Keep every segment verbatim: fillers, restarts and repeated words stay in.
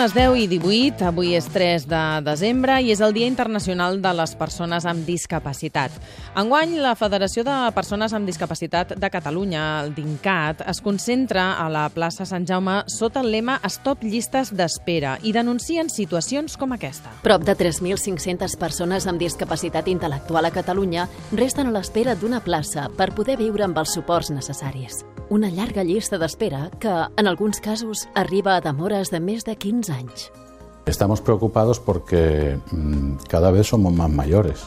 les deu i divuit, avui és tres de desembre i és el Dia Internacional de les Persones amb Discapacitat. Enguany, la Federació de Persones amb Discapacitat de Catalunya, el DINCAT, es concentra a la plaça Sant Jaume sota el lema Stop llistes d'espera i denuncien situacions com aquesta. Prop de tres mil cinc-centes persones amb discapacitat intel·lectual a Catalunya resten a l'espera d'una plaça per poder viure amb els suports necessaris. Una llarga llista d'espera que, en alguns casos, arriba a demores de més de quinze anys. Estamos preocupados porque mmm, cada vez somos más mayores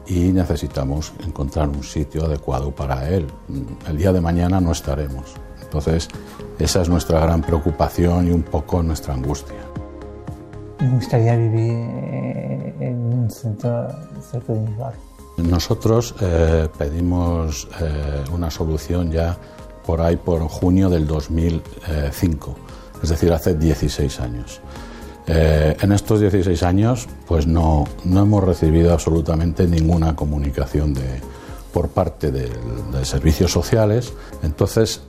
y necesitamos encontrar un sitio adecuado para él. El día de mañana no estaremos. Entonces, esa es nuestra gran preocupación y un poco nuestra angustia. Me gustaría vivir en un centro cerca de mi barrio. Nosotros eh, pedimos eh, una solución ya por ahí por junio del dos mil cinco, es decir, hace dieciséis años. Eh, en estos dieciséis años pues no, no hemos recibido absolutamente ninguna comunicación de, por parte de, de servicios sociales, entonces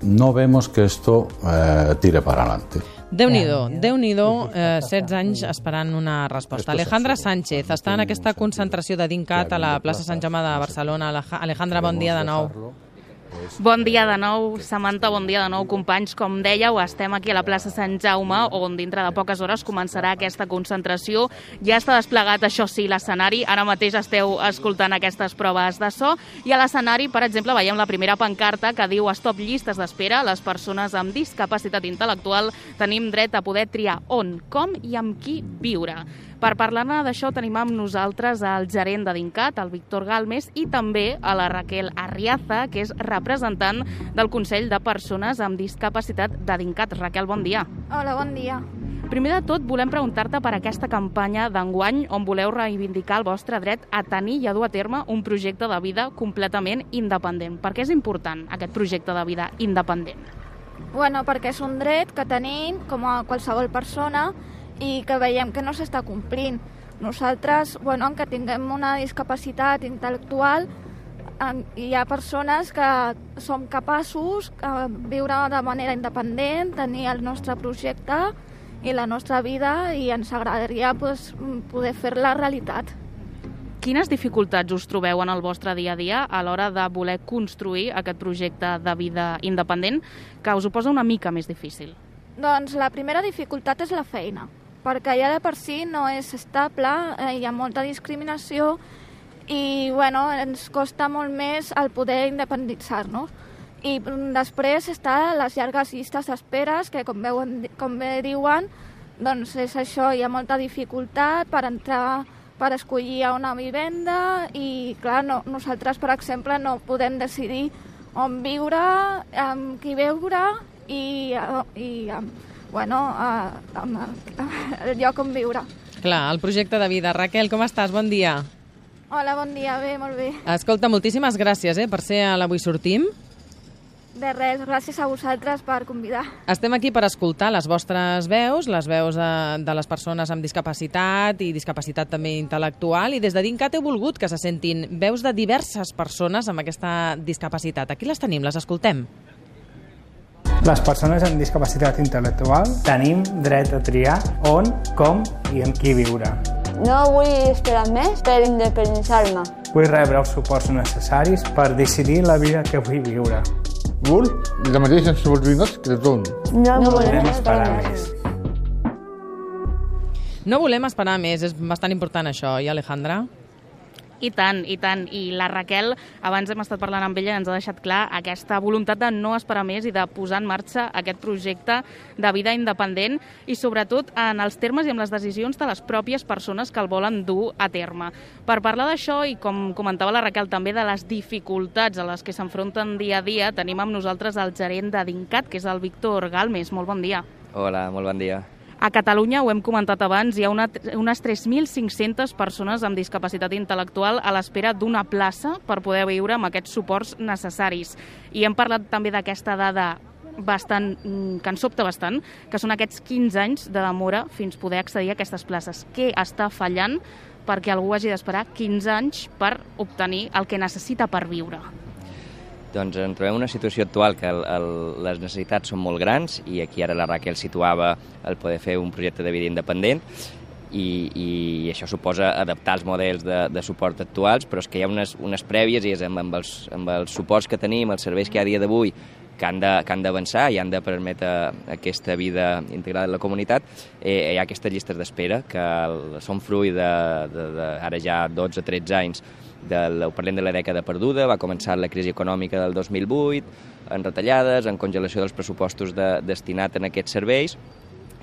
no vemos que esto eh, tire para adelante. Déu-n'hi-do, Déu-n'hi-do, eh, setze anys esperant una resposta. Alejandra Sánchez està en aquesta concentració de DINCAT a la plaça Sant Jaume de Barcelona. Alejandra, bon dia de nou. Bon dia de nou, Samantha, bon dia de nou, companys. Com dèieu, estem aquí a la plaça Sant Jaume, on dintre de poques hores començarà aquesta concentració. Ja està desplegat, això sí, l'escenari. Ara mateix esteu escoltant aquestes proves de so. I a l'escenari, per exemple, veiem la primera pancarta que diu Stop llistes d'espera. Les persones amb discapacitat intel·lectual tenim dret a poder triar on, com i amb qui viure. Per parlar-ne d'això tenim amb nosaltres el gerent de DINCAT, el Víctor Galmes, i també a la Raquel Arriaza, que és representant del Consell de Persones amb Discapacitat de DINCAT. Raquel, bon dia. Hola, bon dia. Primer de tot, volem preguntar-te per aquesta campanya d'enguany on voleu reivindicar el vostre dret a tenir i a dur a terme un projecte de vida completament independent. Per què és important aquest projecte de vida independent? Bueno, perquè és un dret que tenim com a qualsevol persona i que veiem que no s'està complint. Nosaltres, bueno, que tinguem una discapacitat intel·lectual, hi ha persones que som capaços de viure de manera independent, tenir el nostre projecte i la nostra vida, i ens agradaria pues, poder fer-la realitat. Quines dificultats us trobeu en el vostre dia a dia a l'hora de voler construir aquest projecte de vida independent que us ho posa una mica més difícil? Doncs la primera dificultat és la feina, perquè ja de per si no és estable, eh, hi ha molta discriminació i bueno, ens costa molt més el poder independitzar-nos. I després està les llargues llistes d'esperes, que com, veuen, com bé diuen, doncs és això, hi ha molta dificultat per entrar, per escollir una vivenda i clar, no, nosaltres per exemple no podem decidir on viure, amb qui viure i, i bueno, el lloc on viure. Clar, el projecte de vida. Raquel, com estàs? Bon dia. Hola, bon dia, bé, molt bé. Escolta, moltíssimes gràcies eh, per ser a l'Avui Sortim. De res, gràcies a vosaltres per convidar. Estem aquí per escoltar les vostres veus, les veus de, de les persones amb discapacitat i discapacitat també intel·lectual, i des de DINCAT heu volgut que se sentin veus de diverses persones amb aquesta discapacitat. Aquí les tenim, les escoltem. Les persones amb discapacitat intel·lectual tenim dret a triar on, com i amb qui viure. No vull esperar més per independitzar-me. Vull rebre els suports necessaris per decidir la vida que vull viure. Vull la mateixa oportunitat que tothom. No, no volem esperar més. No volem esperar més, és bastant important això, i Alejandra? I tant, i tant. I la Raquel, abans hem estat parlant amb ella, ens ha deixat clar aquesta voluntat de no esperar més i de posar en marxa aquest projecte de vida independent i sobretot en els termes i amb les decisions de les pròpies persones que el volen dur a terme. Per parlar d'això i, com comentava la Raquel, també de les dificultats a les que s'enfronten dia a dia, tenim amb nosaltres el gerent de DINCAT, que és el Víctor Galmes. Molt bon dia. Hola, molt bon dia. A Catalunya, ho hem comentat abans, hi ha una, unes tres mil cinc-centes persones amb discapacitat intel·lectual a l'espera d'una plaça per poder viure amb aquests suports necessaris. I hem parlat també d'aquesta dada bastant, que ens sobta bastant, que són aquests quinze anys de demora fins poder accedir a aquestes places. Què està fallant perquè algú hagi d'esperar quinze anys per obtenir el que necessita per viure? Doncs ens trobem una situació actual que el, el, les necessitats són molt grans i aquí ara la Raquel situava el poder fer un projecte de vida independent i, i això suposa adaptar els models de, de suport actuals, però és que hi ha unes, unes prèvies i és amb, amb, els, amb els suports que tenim, els serveis que hi ha a dia d'avui, que han d'avançar i han de permetre aquesta vida integrada en la comunitat, eh, hi ha aquestes llistes d'espera que són fruit de, de, de ara ja dotze o tretze anys, del, parlem de la dècada perduda, va començar la crisi econòmica del dos mil vuit, en retallades, en congelació dels pressupostos de, destinats en aquests serveis,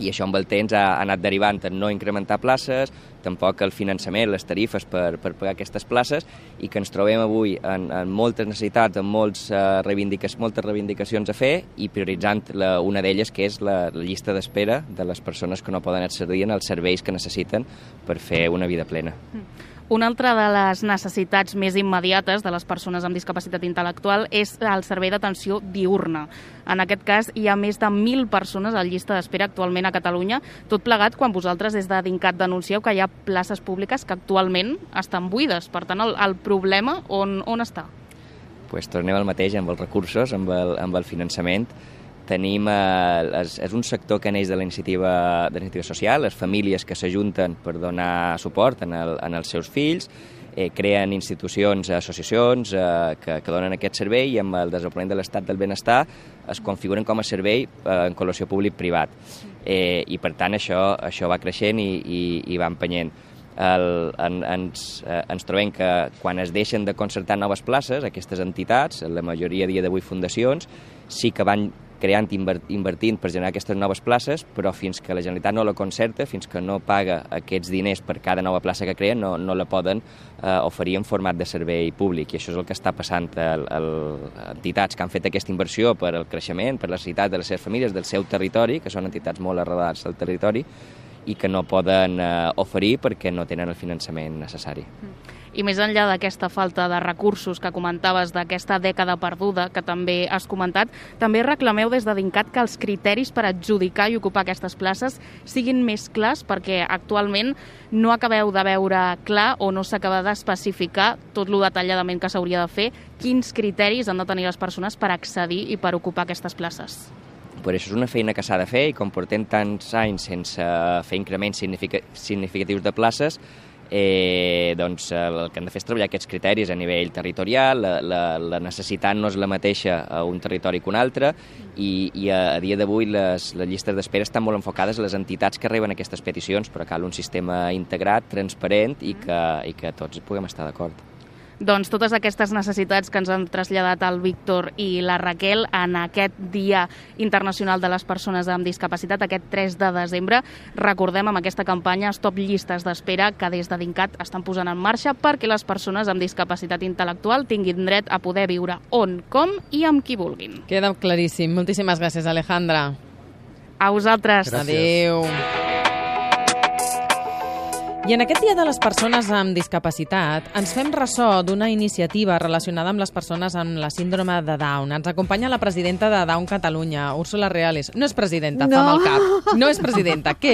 i això amb el temps ha anat derivant en no incrementar places, tampoc el finançament, les tarifes per, per pagar aquestes places, i que ens trobem avui en, en moltes necessitats, en molts, uh, reivindica moltes reivindicacions a fer i prioritzant la, una d'elles, que és la, la llista d'espera de les persones que no poden accedir als serveis que necessiten per fer una vida plena. Mm. Una altra de les necessitats més immediates de les persones amb discapacitat intel·lectual és el servei d'atenció diürna. En aquest cas, hi ha més de mil persones a llista d'espera actualment a Catalunya, tot plegat quan vosaltres des de DINCAT denuncieu que hi ha places públiques que actualment estan buides. Per tant, el, el problema on, on està? Pues tornem al mateix amb els recursos, amb el, amb el finançament. Tenim, eh, és, és un sector que neix de la iniciativa, de la iniciativa social, les famílies que s'ajunten per donar suport en, el, en els seus fills, eh, creen institucions, associacions eh, que, que donen aquest servei i amb el desenvolupament de l'estat del benestar es configuren com a servei eh, en col·laboració públic-privat. Eh, I per tant això, això va creixent i, i, i va empenyent. El, en, ens, eh, ens trobem que quan es deixen de concertar noves places, aquestes entitats, la majoria a dia d'avui fundacions, sí que van creant, invertint per generar aquestes noves places, però fins que la Generalitat no la concerta, fins que no paga aquests diners per cada nova plaça que creen, no, no la poden eh, oferir en format de servei públic. I això és el que està passant a, a, a entitats que han fet aquesta inversió per al creixement, per la necessitat de les seves famílies, del seu territori, que són entitats molt arrelades al territori, i que no poden eh, oferir perquè no tenen el finançament necessari. I més enllà d'aquesta falta de recursos que comentaves, d'aquesta dècada perduda que també has comentat, també reclameu des de DINCAT que els criteris per adjudicar i ocupar aquestes places siguin més clars, perquè actualment no acabeu de veure clar o no s'acaba d'especificar tot lo detalladament que s'hauria de fer, quins criteris han de tenir les persones per accedir i per ocupar aquestes places. Per això és una feina que s'ha de fer i com portem tants anys sense fer increments significatius de places, eh, doncs el que hem de fer és treballar aquests criteris a nivell territorial, la, la, la necessitat no és la mateixa a un territori que un altre i, i a, a dia d'avui les, les llistes d'espera estan molt enfocades a les entitats que reben aquestes peticions, però cal un sistema integrat, transparent i que, i que tots puguem estar d'acord. Doncs totes aquestes necessitats que ens han traslladat el Víctor i la Raquel en aquest Dia Internacional de les Persones amb Discapacitat, aquest tres de desembre, recordem amb aquesta campanya Stop Llistes d'Espera que des de DINCAT estan posant en marxa perquè les persones amb discapacitat intel·lectual tinguin dret a poder viure on, com i amb qui vulguin. Queda claríssim. Moltíssimes gràcies, Alejandra. A vosaltres. Gràcies. Adéu. I en aquest Dia de les Persones amb Discapacitat ens fem ressò d'una iniciativa relacionada amb les persones amb la síndrome de Down. Ens acompanya la presidenta de Down Catalunya, Úrsula Reales. No és presidenta, no. fa mal cap. No és presidenta. Què